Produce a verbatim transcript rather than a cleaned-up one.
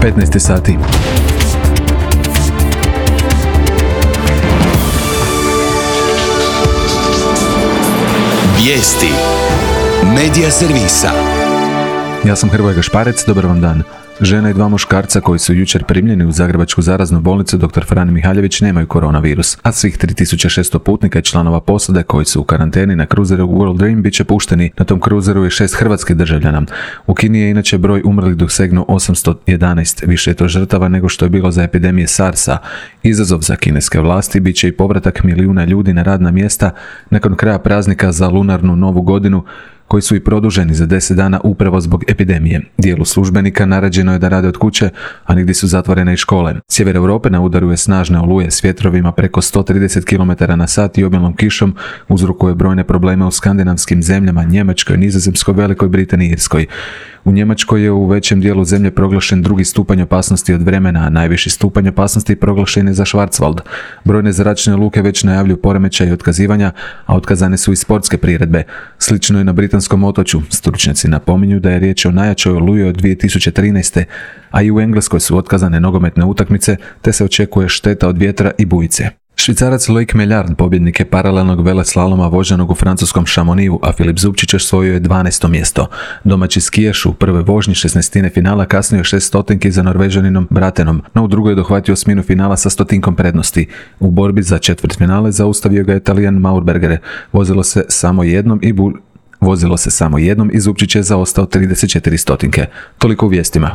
petnaest sati. Vijesti Medija servisa. Ja sam Hrvoje Gašparec, dobar vam dan. Žena i dva muškarca koji su jučer primljeni u Zagrebačku zaraznu bolnicu doktor Fran Mihaljević nemaju koronavirus, a svih tri tisuće šesto putnika i članova posade koji su u karanteni na kruzeru World Dream bit će pušteni. Na tom kruzeru je šest hrvatskih državljana. U Kini je inače broj umrlih dosegnuo osamsto jedanaest, više je to žrtava nego što je bilo za epidemije SARS-a. Izazov za kineske vlasti bit će i povratak milijuna ljudi na radna mjesta nakon kraja praznika za lunarnu novu godinu, koji su i produženi za deset dana upravo zbog epidemije. Dijelu službenika naređeno je da rade od kuće, a nigdje su zatvorene i škole. Sjever Europe na udaru je snažne oluje s vjetrovima preko sto trideset kilometara na sat i obilnom kišom, uzrokuje brojne probleme u skandinavskim zemljama, Njemačkoj, Nizozemskoj, Velikoj Britaniji i Irskoj. U Njemačkoj je u većem dijelu zemlje proglašen drugi stupanj opasnosti od vremena, a najviši stupanj opasnosti proglašen je za Schwarzwald. Brojne zračne luke već najavljuju poremećaj i otkazivanja, a otkazane su i sportske priredbe. Slično je na britanskom otočju. Stručnjaci napominju da je riječ o najjačoj oluji od dvije tisuće trinaeste. a i u Engleskoj su otkazane nogometne utakmice, te se očekuje šteta od vjetra i bujice. Švicarac Loic Meillard pobjednik je paralelnog veleslaloma voženog u francuskom Chamonixu, a Filip Zubčić osvojio je dvanaesto mjesto. Domaći skijaš u prvoj vožnji šesnaestine finala kasnio je šest stotinki za Norvežaninom Bratenom, no u drugoj je dohvatio osminu finala sa stotinkom prednosti. U borbi za četvrtfinale zaustavio ga je Talijan Maurberger. Vozilo se samo jednom i bu... Vozilo se samo jednom i Zubčić je zaostao trideset četiri stotinke. Toliko u vijestima.